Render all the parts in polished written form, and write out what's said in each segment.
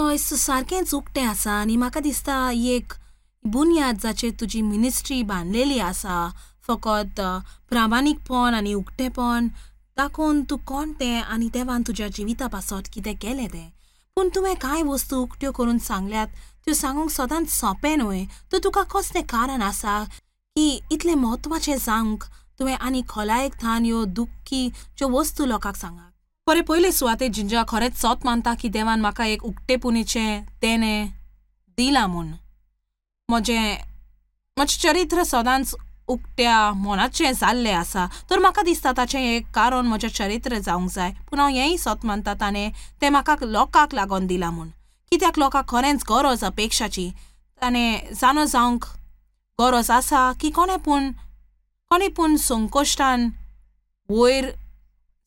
Joyce, सारकेंच उक्तें आसा आनी म्हाका दिसता एक बुन्याद जाचेर तुजी मिनिस्ट्री बांदलेली आसा, फकत प्रामाणीकपण आनी उक्तेपण दाखोवन तूं कोण तें आनी देवान तुज्या जिविता पासत कितें केलें तें. पूण तुवें कांय वस्तू उक्त्यो करून सांगल्यात त्यो सांगूंक सदांच सोंपें न्हय. तर तुका कसलें कारण आसा की इतलें म्हत्वाचें जावंक तुवें आनी खोलायेक थावन ह्यो दुख्खी ज्यो वस्तू लोकांक सांगात? बरें, पयले सुवातेर जिंजा खरेंच सोत मानता की देवान म्हाका एक उक्तेपुणीचें तेणें दिलां म्हूण. म्हजें चरित्र सदांच उक्त्या मनाचें जाल्लें आसा, तर म्हाका दिसता ताचें एक कारण म्हजें चरित्र जावंक जाय. पूण हांव हेंय सोत मानता ताणें तें म्हाका लोकांक लागून दिलां म्हूण. कित्याक लोकांक खरेंच गरज अपेक्षाची, ताणें जाणो जावंक गरज आसा की कोणें पूण संकश्टान वयर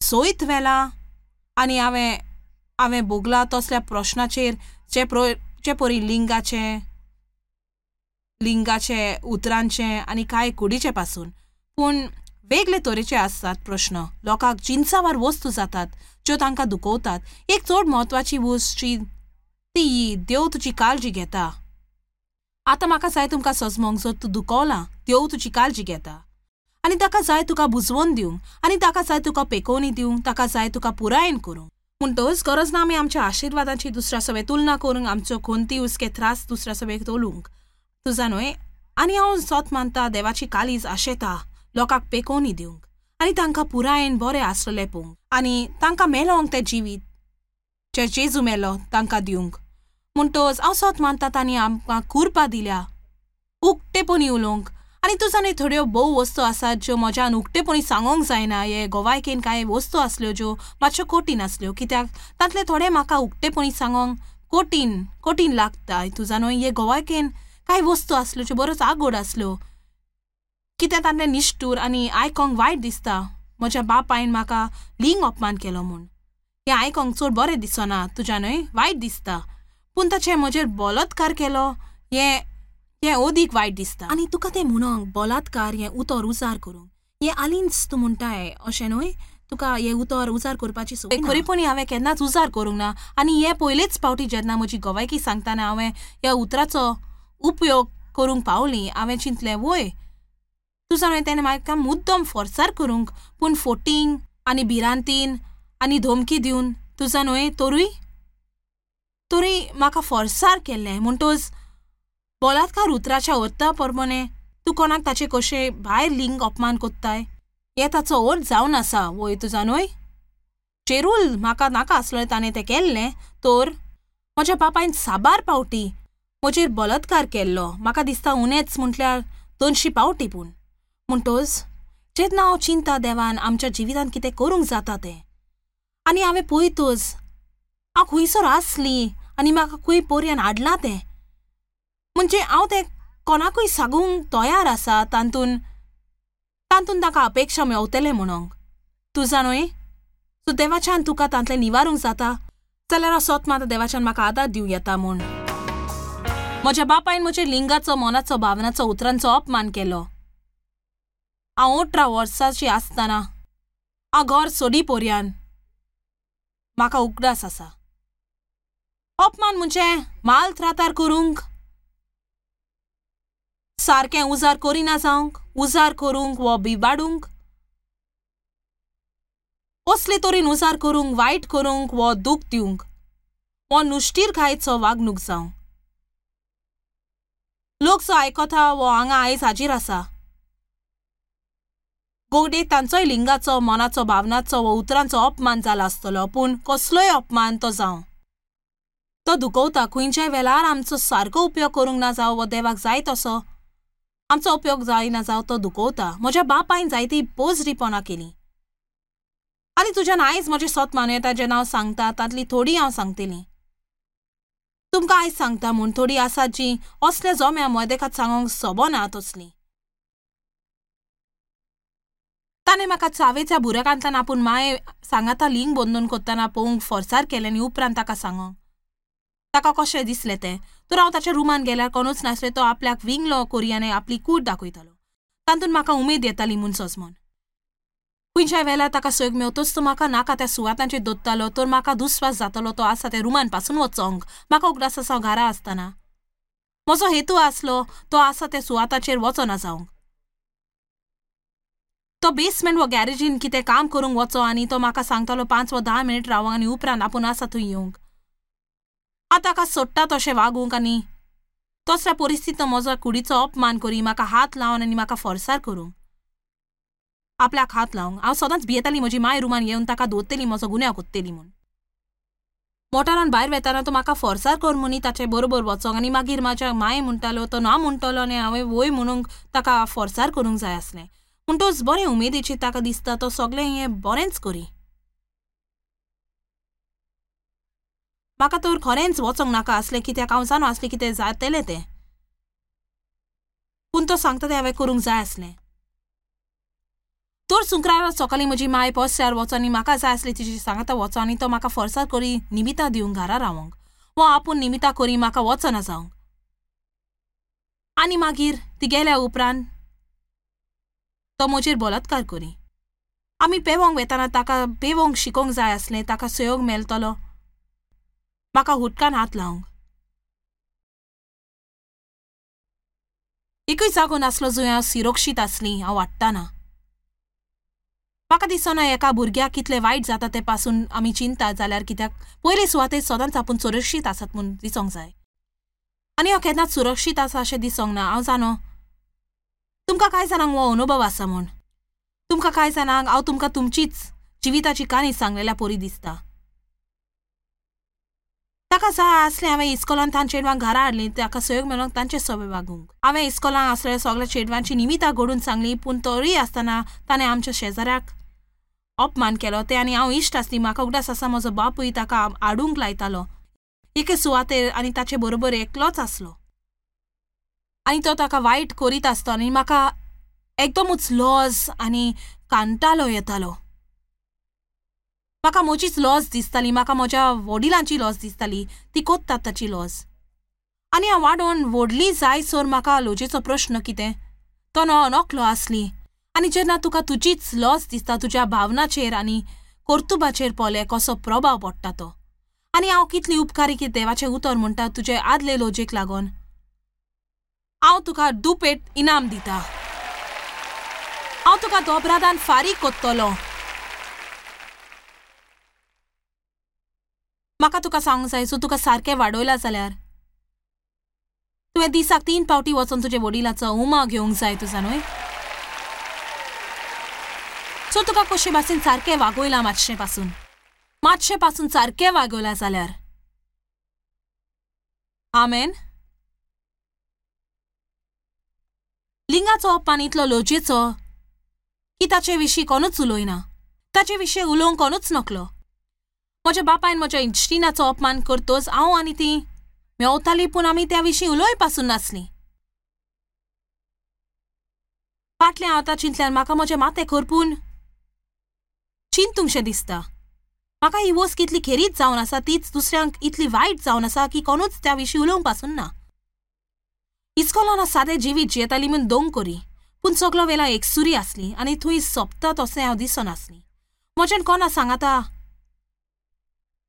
सोयत व्हेलां आनी हांवें भोगलां तसल्या प्रश्नाचेर जे परी लिंगाचे उतरांचे आनी कांय कुडीचे पासून. पूण वेगळे तरेचे आसतात प्रश्न, लोकांक जिनसावार वस्तू जातात ज्यो तांकां दुखवतात. एक चड म्हत्वाची वस्त ती देव तुजी काळजी घेता. आतां म्हाका जाय तुमकां सजमोंक, जर तूं दुखवलां देव तुजी काळजी घेता आनी ताका जाय तुका बुजवोन दिवंक आनी ताका जाय तुका पेकोवणी दिवंक, ताका जाय तुका पुरायेन करूंक. म्हणटच गरज ना आमी आमच्या आशिर्वादांची दुसऱ्या सवे तुलना करूंक, आमच्यो खंती हुस्के त्रास दुसऱ्या सवे तोलूंक. तुजा न्हय? आनी हांव सोत मानता देवाची काळीज आशेता लोकांक पेकोवणी दिवंक आनी तांकां पुरायेन बरें आसलें पळोवंक आनी तांकां मेलोंक तें जिवीत जें जेजू मेलो तांकां दिवंक. म्हणटच हांव सोत मानता तांणी आमकां कुरपा दिल्या उक्तेपणी उलोवंक. आनी तुजा न्हय थोड्यो भोव वस्तू आसात ज्यो म्हज्यान उक्तेपणी सांगोंक जायना. हे गोवायकेन कांय वस्तू आसल्यो ज्यो मातश्यो कठीण आसल्यो, कित्याक तांतले थोडे म्हाका उक्तेपणी सांगोंक कठीण लागता. तुजा न्हय हे गोवायकेन कांय वस्तू आसल्यो ज्यो बऱ्योच आगोड आसल्यो, कित्याक तांतलें निश्ठूर आनी आयकोंक वायट दिसता. म्हज्या बापायन म्हाका लिंग अपमान केलो म्हूण हें आयकोंक चड बरें दिसना, तुज्या न्हय वायट दिसता. पूण ताचें म्हजेर बलात्कार केलो हें अदीक वायट दिसता. आनी तुका तें म्हणोंक बलात्कार हें उतर उजार करूंक हें आलींच तूं म्हणटाय अशें न्हय, तुका हें उतर उजार करपाची संवय. खरेपणी हांवें केन्नाच उजार करूंक ना आनी हें पयलेच फावटी जेन्ना म्हजी गोवायकी सांगतना हांवें ह्या उतराचो उपयोग करूंक पावली. हांवें चिंतलें वय तुजा न्हय तेणें म्हाका मुद्दम फोर्सार करूंक, पूण फोटींग आनी भिरांतीन आनी धमकी दिवन तुजा न्हय तरूय म्हाका फोर्सार केल्लें. म्हणटच बलात्कार उतराच्या अर्था प्रमाणे तूं कोणाक ताचे कशें भायर लिंग अपमान कोत्ताय हें ताचो अर्थ जावन आसा वय तुजा न्हय. चेरूल म्हाका नाका आसलें ताणें तें केल्लें, तर म्हज्या बापायन साबार पावटी म्हजेर बलात्कार केल्लो. म्हाका दिसता उणेच म्हटल्यार 200 पावटी. पूण म्हणटच जेन्ना हांव चिंता देवान आमच्या जिवितांत कितें करूंक जाता तें, आनी हांवें पळयतच हांव खंयसर आसली आनी म्हाका खंय पर्यान हाडलां तें, म्हणजे हांव तें कोणाकूय सांगूंक तयार आसा तातूंत तांकां अपेक्षा मेवतलें म्हणोंक. तुजा न्हय सो देवाच्यान तुका तांतलें निवारूंक जाता जाल्यार हांव सोत मात देवाच्यान म्हाका आदार दिवं येता म्हूण. म्हज्या बापायन म्हज्या लिंगाचो, मनाचो, भावनाचो, उतरांचो अपमान केलो. हांव 18 वर्सांची आसतना हांव घर सोडी पर्यान म्हाका उगडास आसा. अपमान म्हणजे माल त्रातार करूंक, सारकें उजार करिना जावंक, उजार करूंक वो बिबाडूंक, असले तरेन उजार करूंक, वायट करूंक वो दूख दिवंक वो नुश्टीरकायेचो वागणूक जावंक. लोक जो आयकता वो हांगा आयज हाजीर आसा गोगडे तांचोय लिंगाचो, मनाचो, भावनाचो वो उतरांचो अपमान जाला आसतलो. पूण कसलोय अपमान तो जावं, तो दुखवता. खंयच्याय वेळार आमचो सारको उपयोग करूंक ना जावं वो देवाक जाय तसो आमचो उपयोग जायना जावं, तो दुखवता. म्हज्या बापायन जायती पोजरीपणां केली आनी तुज्यान आयज म्हजें सोत मानूं येता जेन्ना हांव सांगता तांतली थोडी हांव सांगतली तुमकां आयज सांगता म्हूण. थोडी आसात जी असल्या जोम्या मदेकात सांगूंक सोबना तसली. ताणें म्हाका चावेच्या बुरकांतल्यान आपूण माये सांगाता लिंग बंदून करतना पळोवंक फोर्सार केलें आनी उपरांत ताका सांगोंक ताका कशें दिसलें तें. तर हांव ताच्या रुमान गेल्यार कोणूच नासलें. तो आपल्याक विंगलो कोरी आनी आपली कूड दाखयतालो. तातूंत म्हाका उमेद येताली म्हूण सजमोन. खंयच्याय वेळार ताका सोयग मेवतोच तो म्हाका नाका त्या सुवातांचेर दोत्तालो तर म्हाका दुस्वास जातलो तो आसा त्या रुमान पासून वचोंक. म्हाका उगडास आसा हांव घरा आसतना म्हजो हेतू आसलो तो आसा त्या सुवाताचेर वचना जावंक. तो बेसमेंट वा गॅरेजीन कितें काम करूंक वचो आनी तो म्हाका सांगतालो 5 वा 10 मिनट रावंक आनी उपरांत आपूण आसा थंय येवंक. हांव ताका सोडटा तशें वागूंक आनी तसल्या परिस्थितीन म्हजो कुडीचो अपमान करी, म्हाका हात लावन आनी म्हाका फोर्सार करूंक, आपल्याक हात लावंक. हांव सदांच भियेताली म्हजी माय रुमान येवन ताका दवरतली, म्हजो गुन्यांव कोत्तली म्हूण. मोटारान भायर वेताना तो म्हाका फोर्सार कर म्हणी ताचे बरोबर वचोंक आनी मागीर म्हाज्या माय म्हणटालो तो ना म्हणटलो आनी हांवें वय म्हणूंक ताका फोर्सार करूंक जाय आसलें. म्हणटच बरें उमेदीचें ताका दिसता तो सगळें हें बरेंच करी. म्हाका तर खरेंच वचोंक नाका आसलें कित्याक हांव जाणो आसलें कितें जातलें तें, पूण तो सांगता तें हांवें करूंक जाय आसलें. तर शुक्रारा सकाळीं म्हजी माय पोस्यार वचो आनी म्हाका जाय आसली तिची सांगाता वचो आनी तो म्हाका फोर्सार करी निमितां दिवंक घरा रावंक वा आपूण निमितां करी म्हाका वचना जावंक. आनी मागीर ती गेल्या उपरांत तो म्हजेर बलात्कार करी. आमी पेंवंक वेताना ताका पेंवंक शिकोवंक जाय आसलें, ताका सहयोग मेळटलो म्हाका हुटकान हात लावंक. एकूय जागो नासलो जंय हांव सुरक्षीत आसली. हांव वाडटाना म्हाका दिसना एका भुरग्याक कितलें वायट जाता तें पासून आमी चिंता जाल्यार, कित्याक पयले सुवातेर सदांच आपूण सुरक्षीत आसात म्हूण दिसोंक जाय. आनी हांव केन्नाच सुरक्षीत आसा अशें दिसोंक ना. हांव जाणो तुमकां कांय जाणांक हो अनुभव आसा म्हूण, तुमकां कांय जाणांक हांव तुमकां तुमचीच जिविताची काणी सांगलेल्या परी दिसता. ताका जाय आसलें हांवें इस्कोलान तांच्या चेडवांक घरा हाडलीं, ताका सहयोग मेळोंक तांचे सवे वागूंक. हांवें इस्कोलान आसलेल्या सगळ्या चेडवांची निमितां घडून सांगली, पूण तरूय आसतना ताणें आमच्या शेजाऱ्याक अपमान केलो. तें आनी हांव इश्ट आसली. म्हाका उगडास आसा म्हजो बापूय ताका हाडूंक लायतालो एके सुवातेर आनी ताचे बरोबर एकलोच आसलो आनी तो ताका वायट करीत आसतो आनी म्हाका एकदमूच लॉज आनी कांटालो येतालो. म्हाका म्हजीच लॉज दिसताली, म्हाका म्हज्या वडिलांची लॉज दिसताली, ती कोत्तात ताची लॉज. आनी हांव वाडोवन व्हडली जायसर म्हाका लजेचो प्रश्न कितें तो नकलो आसली. आनी जेन्ना तुका तुजीच लॉज दिसता तुज्या भावनाचेर आनी कर्तुबाचेर पळय कसो प्रभाव पडटा तो. आनी हांव कितली उपकारी की देवाचें उतर म्हणटा तुजे आदले लजेक लागून हांव तुका दुपेट इनाम दिता, हांव तुका दोबरादान फारीक कोत्तलो. म्हाका तुका सांगूंक जाय, सो तुका सारकें वाडयलां जाल्यार तुवें दिसाक 3 फावटी वचोन तुजे वडिलाचो उमा घेवंक जाय तुजा न्हय. सो तुका कशे भाशेन सारकें वागयलां, मातशें पासून मातशें पासून सारकें वागयलां जाल्यार. आमेन. लिंगाचो अपमान इतलो लजेचो की ताचे विशीं कोणूच उलयना, ताचे विशीं उलोवंक कोणूच नकलो. म्हज्या बापायन म्हज्या इश्टिणाचो अपमान करतोच हांव आनी ती मेवताली, पूण आमी त्या विशीं उलोय पासून नासलीं. फाटलें हांव आतां चिंतल्यार म्हाका म्हजें माथें करपून चिंतूंकशें दिसता. म्हाका ही वस्त कितली खेरीत जावन आसा तीच दुसऱ्यांक इतली वायट जावन आसा की कोणूच त्या विशीं उलोवंक पासून ना. इस्कोलान सादें जिवीत जियेताली म्हूण दोंग करी, पूण सगलो वेळा एकसुरी आसली आनी थंय सोंपता तशें हांव दिसनासली. म्हज्यान कोणा सांगाता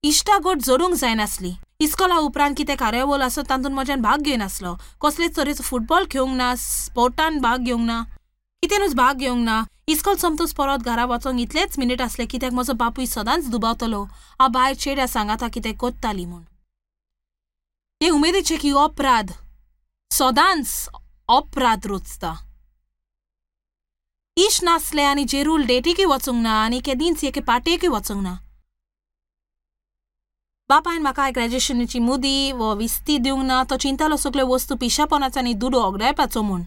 इश्टागट जोडूंक जायनासली. इस्कोला उपरांत कितें कार्यावळ आसत तातूंत म्हज्यान भाग घेयनासलो. कसलेच तरेचो फुटबॉल खेळूंक ना, स्पोर्टान भाग घेवंक ना, कितेंनूच भाग घेवंक ना. इस्कोल सोमतोच परत घरा वचोंक इतलेच मिनीट आसले कित्याक म्हजो बापूय सदांच दुबावतलो हांव भायर चेड्या सांगाता कितें कोत्ताली म्हूण. हे उमेदीचें की अपराध सदांच अपराध रोचता. इश्ट नासले आनी जेरूल डेटीकूय वचूंक ना आनी केदींच एके पार्टेकूय वचूंक ना. बापायन म्हाका ग्रॅज्युएशनाची मुदी वा विस्ती दिवंक ना. तो चिंतालो सगल्यो वस्तू पिशापणाचो आनी दुडू ओगडायपाचो म्हूण.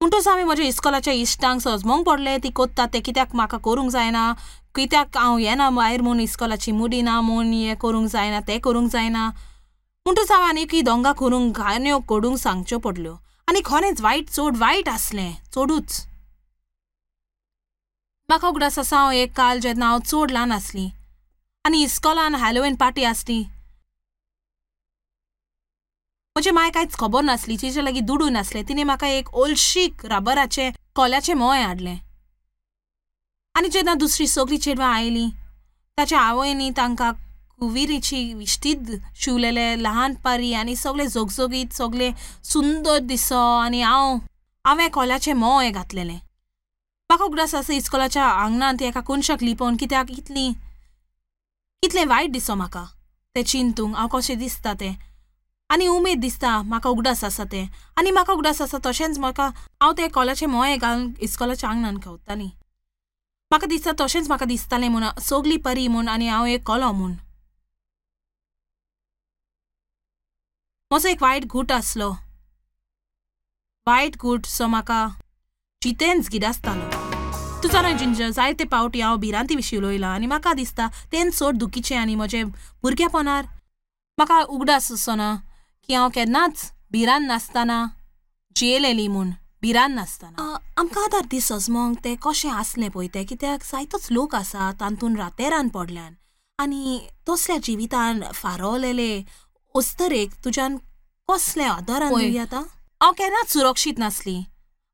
म्हणटूच हांवें म्हज्या इस्कोलाच्या इश्टांक सजमोंक पडलें ती कोत्ता तें कित्याक म्हाका करूंक जायना, कित्याक हांव येना भायर म्हूण, इस्कोलाची मुदी ना म्हूण, हें करूंक जायना तें करूंक जायना. म्हणटूच हांवें आनीकय दोंगा करूंक घाण्यो कोडूंक सांगच्यो पडल्यो आनी खरेंच वायट चड वायट आसलें, चडूच. म्हाका उगडास आसा हांव एक काल जेन्ना हांव चड ल्हान आसली आनी इस्कोलान हॅलोवीन पार्टी आसली. म्हजे माय कांयच खबर नासली, तिचे लागीं दुडू नासले. तिणें म्हाका एक ओलशीक रबराचें कोल्याचें मोय हाडलें. आनी जेन्ना दुसरी सगळीं चेडवां आयलीं ताच्या आवयनी तांकां कुविरीची विश्तीद शिवलेले लहान पारी आनी सगळे झगझगीत सगळे सुंदर दिसो आनी हांवें कोल्याचें मोव हें घातलेलें. म्हाका उगडास आसा इस्कोलाच्या आंगणांत एका कोनशाक लिपोवन कित्याक इतलें वायट दिसो म्हाका तें चिंतूंक हांव कशें दिसता तें आनी उमेद दिसता म्हाका उगडास आसा तें. आनी म्हाका उगडास आसा तशेंच म्हाका हांव तें कोल्याचें मोव घालून इस्कोलाच्या आंगणान खेवतालीं. म्हाका दिसता तशेंच म्हाका दिसतालें म्हूण सगळी परी म्हूण आनी हांव एक कोलो म्हूण. म्हजो एक वायट गूट आसलो, वायट गूट सो म्हाका जितेंच गिरासतालो. तूं जाणा जिंजर, जायते पावटी हांव भिरांती विशीं उलयलां आनी म्हाका दिसता तेंच चड दुखीचें आनी म्हजें भुरगेपणार म्हाका उगडास आसना की हांव केन्नाच भिरांत नासतना जियेलेली म्हूण. भिरांत नासतना आमकां आतां दीस सजमोंक तें कशें आसलें पळय तें, कित्याक जायतोच लोक आसा तातूंत रातेरान पडल्यान आनी तसल्या जिवितान फारवलेले अस्तरेक तुज्यान कसलें आदारान दिवया. आतां हांव केन्नाच सुरक्षीत नासली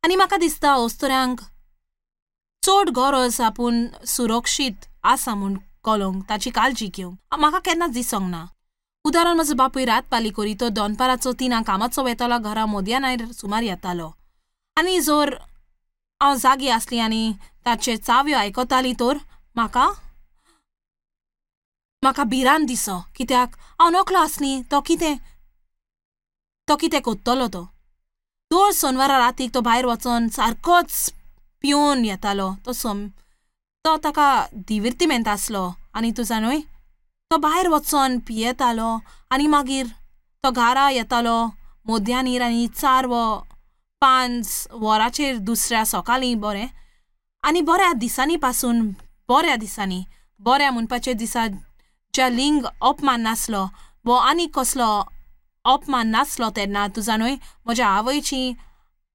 आनी म्हाका दिसता अस्तऱ्यांक चड गरज आपूण सुरक्षीत आसा म्हूण कळोंक, ताची काळजी घेवंक म्हाका केन्नाच दिसोंक ना. उदाहरण, म्हजो बापूय रात पाली करी तो दनपाराचो 3 कामाचो वेतालो, घरा मोदयान सुमार येतालो आनी जर हांव जागी आसली आनी ताचे चावयो आयकताली तर म्हाका म्हाका भिरांत दिसो, कित्याक हांव नकलो आसली तो कितें कोत्तलो. तो दर सोनवारा रातीक तो भायर वचोन सारकोच पिवन येतालो. तो ताका दिविर्तिमेंत आसलो आनी तूं जाणूय तो भायर वचोन पियेतालो आनी मागीर तो घरा येतालो मोद्यानीर आनी 4 व 5 वरांचेर दुसऱ्या सकाळीं बरें आनी बऱ्या दिसांनी पासून बऱ्या दिसांनी बऱ्या म्हणपाचे दिसा ज्या लिंग अपमान नासलो वो आनी कसलो अपमान नासलो तेन्ना तूं जाणूय म्हज्या आवयची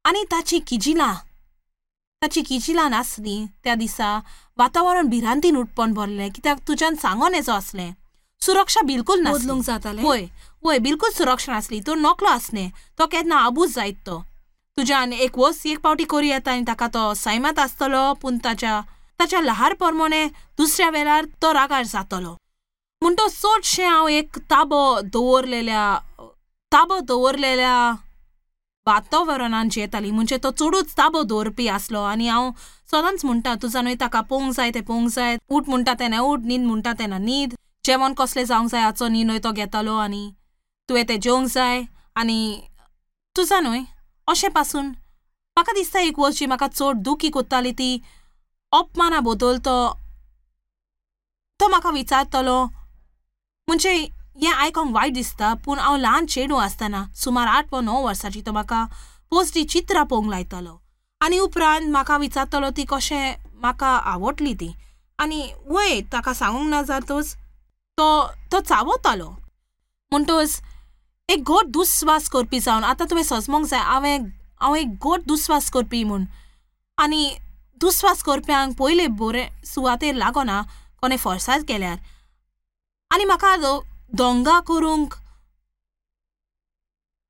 आनी ताची किजिलां नासली. त्या दिसा वातावरण भिरांतीन उठपण भरलें, कित्याक तुज्यान सांगोन येचो आसलें सुरक्षा बिलकूल नासली. जातालें वय वय बिलकूल सुरक्षा नासली. तो नकलो आसलें, तो केन्ना आबूज जायत तो तुज्यान एक वस्त एक पावटी करी येता आनी ताका तो सैमात आसतलो, पूण ताच्या लहार प्रमाणे दुसऱ्या वेळार तो रागार जातलो. म्हूण तो चडशें हांव एक ताबो दवरलेल्या वातावरणान जियेताली. म्हणजे तो चडूच ताबो दवरपी आसलो आनी हांव सदांच म्हणटा तुजा न्हय ताका पोवंक जाय तें पोवंक जाय, उठ म्हणटा तेन्ना उठ, न्हीद म्हणटा तेन्ना न्हीद, जेवण कसलें जावंक जाय हाचो निर्णय तो घेतालो आनी तुवें तें जेवंक जाय आनी तुजा न्हय अशें पासून म्हाका दिसता एक वस्त जी म्हाका चड दुखी कोत्ताली ती अपमाना बदल तो म्हाका विचारतलो. म्हणजे हें आयकोंक वायट दिसता, पूण हांव ल्हान चेडूं आसतना सुमार 8 वा 9 वर्सांची तो म्हाका पोस्टी चित्रां पळोवंक लायतालो आनी उपरांत म्हाका विचारतलो ती कशें म्हाका आवडली ती आनी वय ताका सांगूंक ना जातूच तो चावतालो. म्हणटच एक घट दुस्वास करपी जावन आतां तुवें सजमोंक जाय हांव एक घट दुस्वास करपी म्हूण आनी दुस्वास करप्यांक पयले बरें सुवातेर लागना कोणें फोर्सार केल्यार आनी म्हाका दोंगा करूंक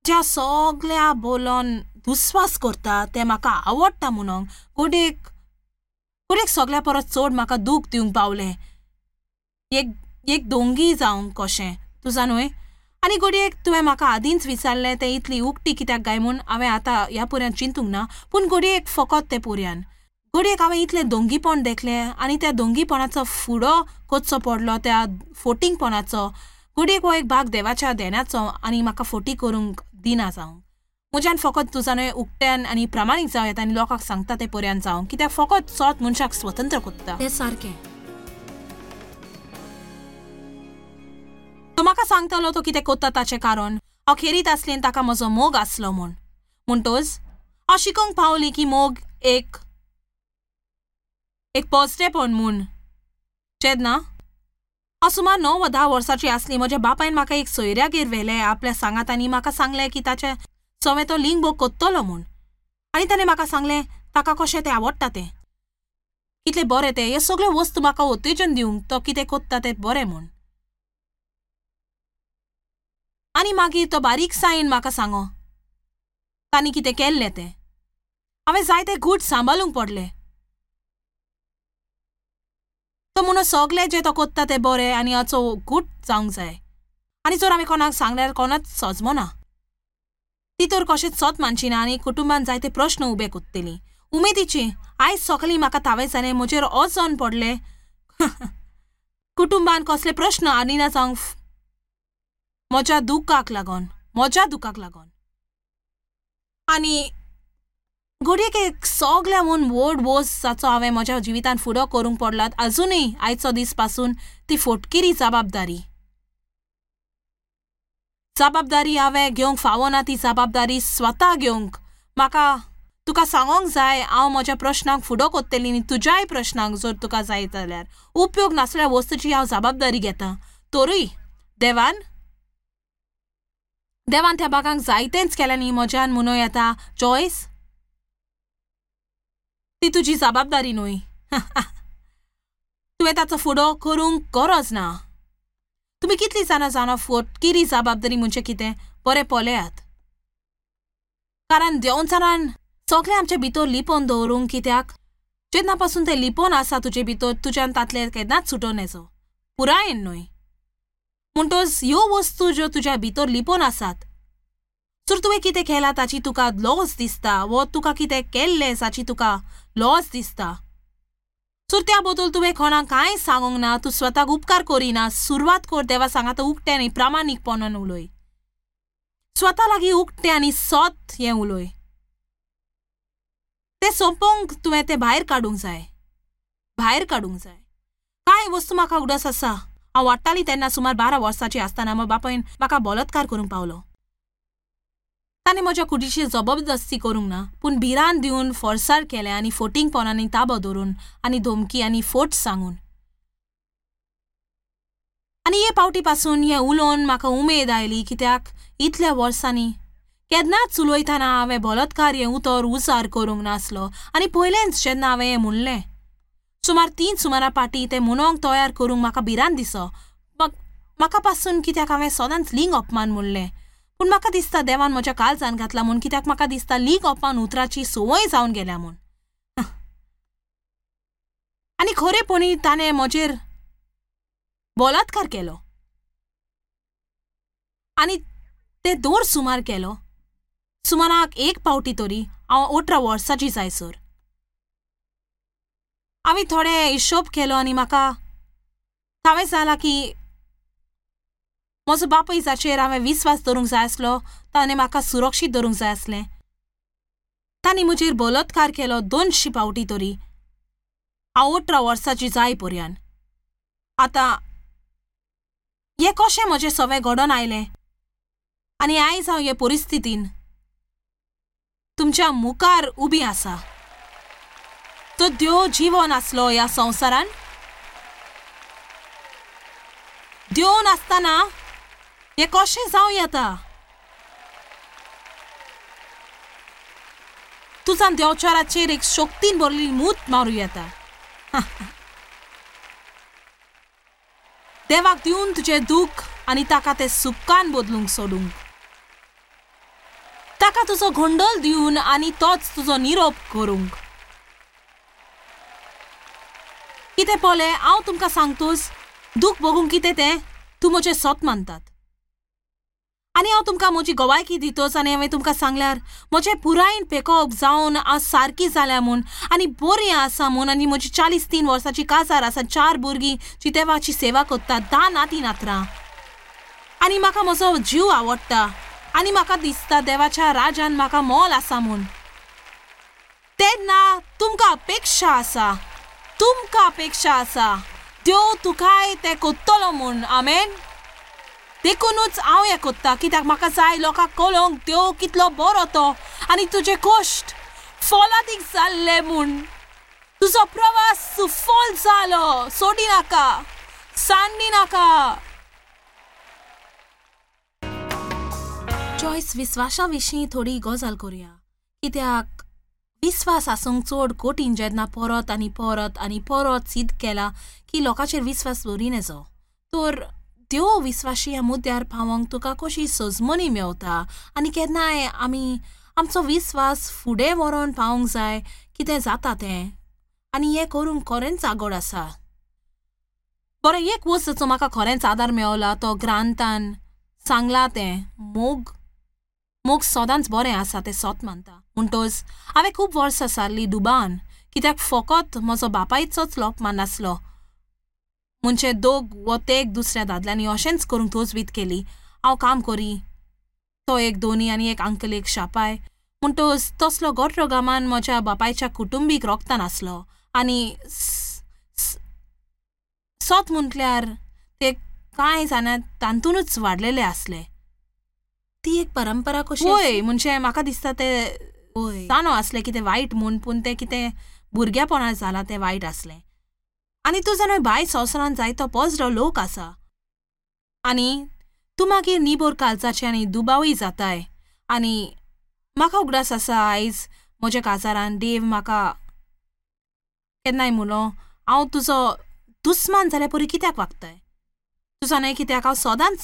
ज्या सगळ्या बोलोन दुस्वास करता तें म्हाका आवडटा म्हणून घडयेक सगळ्या परस चड म्हाका दूख दिवंक पावलें एक दोंगी जावंक कशें तुजा न्हय. आनी घडयेक तुवें म्हाका आदींच विचारलें तें इतली उकटी कित्याक काय म्हूण हांवें आतां ह्या पुऱ्यान चिंतूंक ना, पूण घडयेक फकत तें पुऱ्यान घडयेक हांवें इतलें दोंगीपण देखलें आनी त्या दोंगीपणाचो फुडो कोचो पडलो त्या फोटिंगपणाचो. घडयेक हो एक भाग देवाच्या देण्याचो आनी म्हाका फोटी करूंक दिना जावंक म्हज्यान फकत तुजा न्हय उकट्यान आनी प्रामाणीक जावं येता आनी लोकांक सांगता तें पर्यान जावं, कित्याक फकत सोत मनशाक स्वतंत्र कोत्ता तें सारकें. तो म्हाका सांगतालो तो कितें कोत्ता ताचें कारण हांव खेरीत आसलें ताका म्हजो मोग आसलो म्हूण. म्हणटच हांव शिकोंक पावली की मोग एक पॉजिटिवपण म्हूण. जेन्ना हांव सुमार 9 वा 10 वर्सांची आसली म्हज्या बापायन म्हाका एक सोयऱ्यागेर व्हेलें आपल्या सांगात आनी म्हाका सांगलें की ताचें सवें तो लिंग भोग कोत्तलो म्हूण आनी ताणें म्हाका सांगलें ताका कशें तें आवडटा तें कितलें बरें तें हे सगळ्यो वस्तू म्हाका उत्तेजन दिवंक तो कितें कोत्ता तें बरें म्हूण. आनी मागीर तो बारीकसायेन म्हाका सांगो तांणी कितें केल्लें तें. हांवें जायते गूट सांबाळूंक पडले. तो म्हणून सगळे जे तो कोत्ता ते बरें आनी हाचो गूट जावंक जाय. आनी जर आमी कोणाक सांगल्यार कोणाच सजमना, ती तर कशेंच सत मानची ना आनी कुटुंबान जायते प्रश्न उबे कोत्तली. उमेदीची आयज सकाळीं म्हाका तावें जालें, म्हजेर अजन पडलें. कुटुंबान कसले प्रश्न आनी ना जावंक म्हज्या दुखाक लागून, म्हज्या दुखाक लागून. आनी घडयेक एक सगळ्याहून व्हड वोस जाचो हांवें म्हज्या जिवितान फुडो करूंक पडलात आजुनूय आयचो दीस पासून, ती फोटकिरी जबाबदारी. जबाबदारी हांवें घेवंक फावना, ती जबाबदारी स्वता घेवंक म्हाका तुका सांगोंक जाय. हांव म्हज्या प्रश्नांक फुडो कोत्तली आनी तुज्याय प्रश्नांक जर तुका जाय जाल्यार उपयोग नासल्या वस्तूची हांव जबाबदारी घेता. तरूय देवान देवान त्या बागांक जायतेंच केलें न्ही म्हज्यान म्हणूं येता जॉयस, ती तुजी जबाबदारी न्हय. तुवें ताचो फुडो करूंक गरज ना. तुमी कितली जाणां जाणा फोटकिरी जबाबदारी म्हणजे कितें? बरें पळयात, कारण देंवचारान सगळें आमचे भितर लिपोवन दवरूंक कित्याक, जेन्ना पासून तें लिपोवन आसा तुजे भितर, तुज्यान तांतलें केन्नाच सुटोवन येचो पुरायेन न्हय. म्हणटच ह्यो वस्तू ज्यो तुज्या भितर लिपोवन आसात, जर तुवें कितें केलां ताची तुका लॉस दिसता, वो तुका कितें केल्लें ताची तुका लॉस दिसता, जर त्या बद्दल तुवें कोणाक कांय सांगूंक ना, तूं स्वताक उपकार करिना, सुरवात कर देवा सांगाता उक्तें आनी प्रामाणीकपणान उलय, स्वता लागीं उक्तें आनी सत हें उलय. तें सोंपोवंक तुवें तें भायर काडूंक जाय, भायर काडूंक जाय. कांय वस्तू म्हाका उगडास आसा, हांव वाडटाली तेन्ना सुमार 12 वर्सांची आसतना म्हज्या बापायन म्हाका बलात्कार करूंक पावलो. ताणें म्हज्या कुडीची जबरदस्ती करूंक ना, पूण भिरांत दिवन फोर्सार केलें आनी फोटिंगपणांनी ताबो धरून आनी धमकी आनी फोट सांगून. आनी हे पावटी पासून हें उलोवन म्हाका उमेद आयली, कित्याक इतल्या वर्सांनी केन्नाच उलयतना हांवें बलात्कार हें उतर उजार करूंक नासलो. आनी पयलेंच जेन्ना हांवें हें म्हणलें, सुमार 3 सुमारा पाटी तें म्हणोंक तयार करूंक म्हाका भिरांत दिसो म्हाका पासून, कित्याक हांवें सदांच लिंग अपमान म्हणलें. पूण म्हाका दिसता देवान म्हज्या काळजान घातला म्हूण, कित्याक म्हाका दिसता लिंग अपमान उतराची संवय जावन गेल्या म्हूण. आनी खरेपणी ताणें म्हजेर बलात्कार केलो आनी ते दर सुमार केलो, सुमाराक एक पावटी तरी. हांव 18 वर्सांची जायसर हांवें थोडे हिशोब केलो आनी म्हाका हांवें जालां की म्हजो बापूय जाचेर हांवें विस्वास दवरूंक जाय आसलो, ताणें म्हाका सुरक्षीत दवरूंक जाय आसलें, तांणी म्हजेर बलात्कार केलो 200 पावटी तरी, हांव 18 वर्सांची जाय पर्यंत. आतां हें कशें म्हजें सवें घडोवन आयलें आनी आयज हांव हे परिस्थितीन तुमच्या मुखार उबी आसा. तो देव जिवन आसलो ह्या संवसारान, देव नासतना हें कशें जावं येता? तुजान देवचाराचेर एक शक्तीन भरलेली मूत मारूं येता. देवाक दिवन तुजें दूख आनी ताका तें सुखान बदलूंक सोडूंक, ताका तुजो गोंडल दिवन आनी तोच तुजो निरोप करूंक. कितें पळय, हांव तुमकां सांगतोच, दूख भोगूंक कितें तें तूं म्हजें सत मानतात. आनी हांव तुमकां म्हजी गवायकी दितोच. आनी हांवें तुमकां सांगल्यार म्हजें पुरायेन पेकोवप जावन हांव सारकी जाल्या म्हूण आनी बरी आसा म्हूण, आनी म्हजी 43 वर्सांची काजार आसा, 4 भुरगीं जी देवाची सेवा करतात, 10 नाती नातरां, आनी म्हाका म्हजो जीव आवडटा आनी म्हाका दिसता देवाच्या राजान म्हाका मोल आसा म्हूण. तेन्ना तुमकां अपेक्षा आसा, तुमकां अपेक्षा आसा देव तुकाय तें कोत्तलो म्हूण. आमेन. देखूनच हांव हें कोत्ता, कित्याक म्हाका जाय लोकांक कळोंक देव कितलो बरो तो आनी तुजे कश्ट फोलादीक जाल्ले म्हूण. तुजो प्रवास सुफल जालो, सोडी नाका, सांडी नाका. चॉयस, विस्वासा विशीं थोडी गजाल करुया, कित्याक विस्वास आसूंक चड कठीण जेन्ना परत आनी परत आनी परत सिद्ध केला की लोकांचेर विस्वास दवरिना. तर देव विस्वाशी ह्या मुद्द्यार पावोंक तुका कशी सजमणी मेवता आनी केन्नाय आमी आमचो विस्वास फुडें व्हरोन पावोंक जाय कितें जाता तें, आनी हें करूंक खरेंच आगोड आसा. बरें, एक वस्तूचो म्हाका खरेंच आदार मेवला तो ग्रांतान सांगला तें मोग. मोग सदांच बरें आसा तें सत मानता. म्हणटच हांवें खूब वर्सां सारलीं दुबान, कित्याक फकत म्हजो बापायचोच लोपमान नासलो, म्हणजे दोग वो तेग दुसऱ्या दादल्यांनी अशेंच करूंक तजवीज केली. हांव काम करी, तो एक दोनी आनी एक अंकल एक शापाय. म्हणटच तसलो गोटरोगामान म्हज्या बापायच्या कुटुंबीक रोगतान आसलो. आनी सत म्हटल्यार ते कांय जाणा तातूंतच वाडलेले आसले. ती एक परंपरा कशी? हय, म्हणजे म्हाका दिसता ते जाणो आसले कितें वायट म्हूण, पूण तें कितें भुरग्यापणां जालां तें वायट आसलें. आनी तूं जाणा बाय संवसारान जायतो पजरो लोक आसा आनी तूं मागीर निबोर कालचाचे आनी दुबावूय जाताय. आनी म्हाका उगडास आसा आयज म्हज्या काजारान देव म्हाका केन्नाय म्हणलो, हांव तुजो दुस्मान जाल्यार परी कित्याक वागताय? तूं जाणाय कित्याक हांव सदांच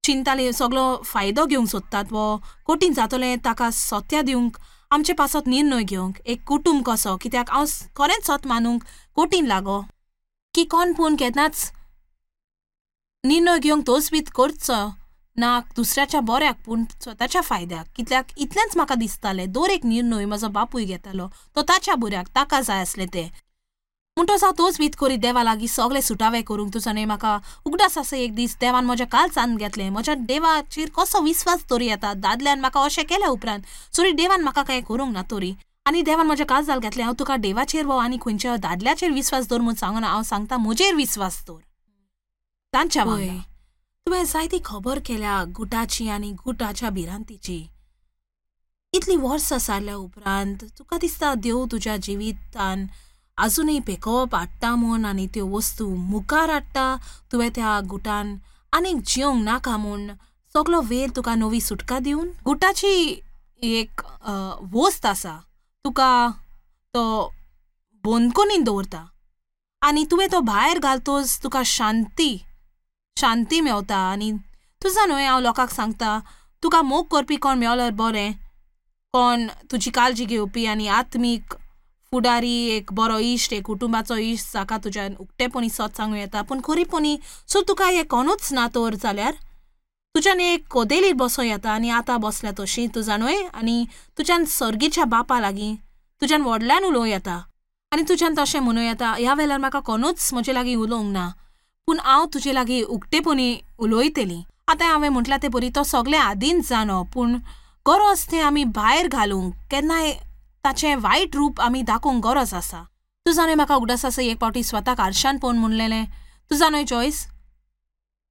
चिंताली सगलो फायदो घेवंक सोदतात वो कठीण जातलें ताका सत्या दिवंक, आमचे पासत निर्णय घेवंक एक कुटूंब कसो, कित्याक हांव खरेंच सत मानूंक कठीण लागो की कोण पूण केन्नाच निर्णय घेवंक तोच करचो ना दुसऱ्याच्या बऱ्याक पूण स्वताच्या फायद्याक. कित्याक इतलेंच म्हाका दिसतालें दर एक निर्णय म्हजो बापूय घेतालो तो ताच्या बऱ्याक, ताका जाय आसलें तें. म्हणटच हांव तोच वीत करीत देवा लागीं सगळे सुटावे करूंक. तुजो न्हय म्हाका उगडास आसा एक दीस देवान म्हज्या कालचान घेतलें. म्हज्या देवाचेर कसो विस्वास तरी येता दादल्यान म्हाका अशें केल्या उपरांत सरी देवान म्हाका कांय करूंक ना तरी. आनी देवान म्हज्या काळजाक घेतलें, हांव तुका देवाचेर वो आनी खंयच्या दादल्याचेर विस्वास दवर म्हूण सांगना, हांव सांगता म्हजेर विस्वास दवर. तांच्या वांगडा तुवें जायती खबर केल्या गुटाची आनी गुटाच्या भिरांतीची. इतली वर्सां सारल्या उपरांत तुका दिसता देव तुज्या जिवितान आजुनूय पेकोवप हाडटा म्हूण आनी त्यो वस्तू मुखार हाडटा. तुवें त्या गुटान आनीक जिवंक नाका म्हूण सगलो वेळ तुका नवी सुटका दिवन गुटाची एक वस्त आसा तुका तो बंदखणीन दवरता आनी तुवें तो भायर घालतोच तुका शांती शांती मेवता. आनी तुजा न्हय हांव लोकांक सांगता, तुका मोग करपी कोण मेवल्यार बरें, कोण तुजी काळजी घेवपी आनी आत्मीक फुडारी, एक बरो इश्ट, एक कुटुंबाचो इश्ट जाका तुज्यान उक्तेपणी सत सांगूं येता. पूण खरीपणी सो तुका हें कोणूच ना तर जाल्यार तुज्यान एक कोदेलीर बसों येता आनी आतां बसल्या तशी तुजा न्हय, आनी तुज्यान सर्गीच्या बापा लागीं तुज्यान व्हडल्यान उलोवं येता आनी तुज्यान तशें म्हणूं येता, ह्या वेळार म्हाका कोणूच म्हजे लागीं उलोवंक ना पूण हांव तुजे लागीं उक्तेपणी उलयतली. आतां हांवें म्हटलां तें बरी तो सगळें आदींच जाणो, पूण गरज तें आमी भायर घालूंक केन्नाय ताचें वायट रूप आमी दाखोवंक गरज आसा. तूं जाणय म्हाका उगडास आसा एक फावटी स्वताक आरशान पळोवन म्हणलेलें, तूं जाणय जॉयस,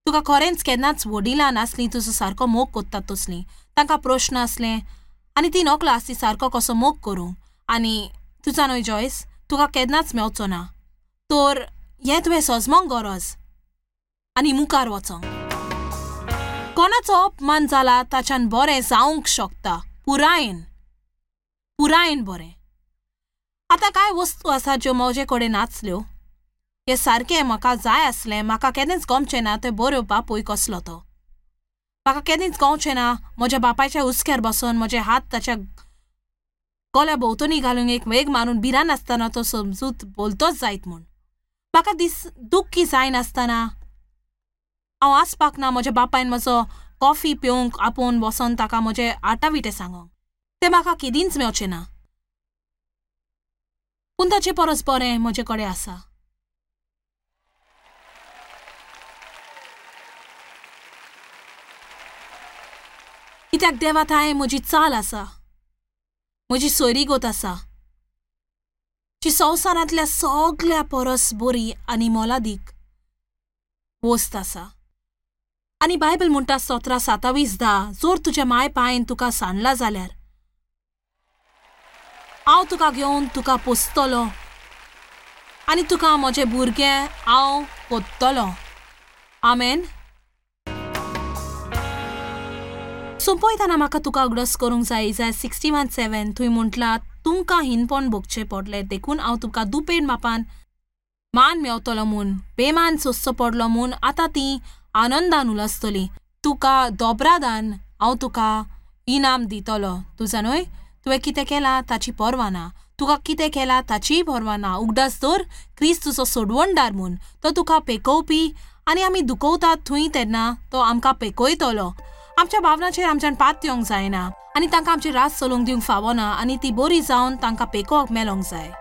तुका खरेंच केन्नाच वडिलां नासलीं तुजो सारको मोग कोत्तात तसलीं, तांकां प्रश्न आसले आनी ती नकलो आसली सारको कसो मोग करूंक, आनी तूं जाणय जॉयस तुका केन्नाच मेवचो ना, तर हें तुवें सजमोंक गरज आनी मुखार वचोंक. कोणाचो अपमान जाला ताच्यान बरें जावंक शकता, पुरायेन पुरायेन बरें. आतां कांय वस्तू आसा ज्यो म्हजे कडेन नाचल्यो, हें सारकें म्हाका जाय आसलें, म्हाका केन्नाच गमचें ना तें बऱ्यो बापूय कसलो तो, म्हाका केन्नाच गवचें ना म्हज्या बापायच्या हुस्क्यार बसून म्हजे हात ताच्या गल्या भोंवतणी घालून एक वेग मारून भिरांत नासतना तो समजूत बोलतोच जायत म्हूण. म्हाका दीस दुख्खी जायनासतना हांव आसपाक ना म्हज्या बापायन म्हजो कॉफी पिवंक आपोवन बसोन ताका म्हजे आटाविटे सांगोंक, तें म्हाका केदींच मेवचें ना, पूण ताचे परस बरें म्हजे कडेन आसा. कित्याक देवा थांय म्हजी चाल आसा, म्हजी सोयरीगत आसा जी संवसारांतल्या सगल्या परस बरी आनी मोलादीक वस्त आसा. आनी बायबल म्हणटा 17:27-10, जर तुज्या माय पायन तुका सांडला जाल्यार हांव तुका घेवन तुका पोसतलो आनी तुका म्हजें भुरगें हांव कोत्तलो. आमेन. सोंपयतना म्हाका तुका उगडास करूंक जाय इजाय 61:7 थंय म्हटलां, तुमकां हिनपण भोगचें पडलें देखून हांव तुमकां दुपेट मापान मान मेवतलो म्हूण, बेमान सोंसचो पडलो म्हूण आतां तीं आनंदान उलसतलीं. तुका दोबरादान हांव तुका इनाम दितलो. तुजा न्हय तुवें कितें केलां ताची पर्वा ना, तुका कितें केलां ताचीय पर्वा ना. उगडास दवर, क्रिस्त तुजो सोडवणदार म्हूण, तो तुका पेकोवपी आनी आमी दुखवतात थंय तेन्ना तो आमकां पेकयतलो. आमच्या भावनाचेर आमच्यान पात येवंक जायना आनी तांकां आमची रास चलोवंक दिवंक फावना आनी ती बरी जावन तांकां पेकोवंक मेलोंक जाय.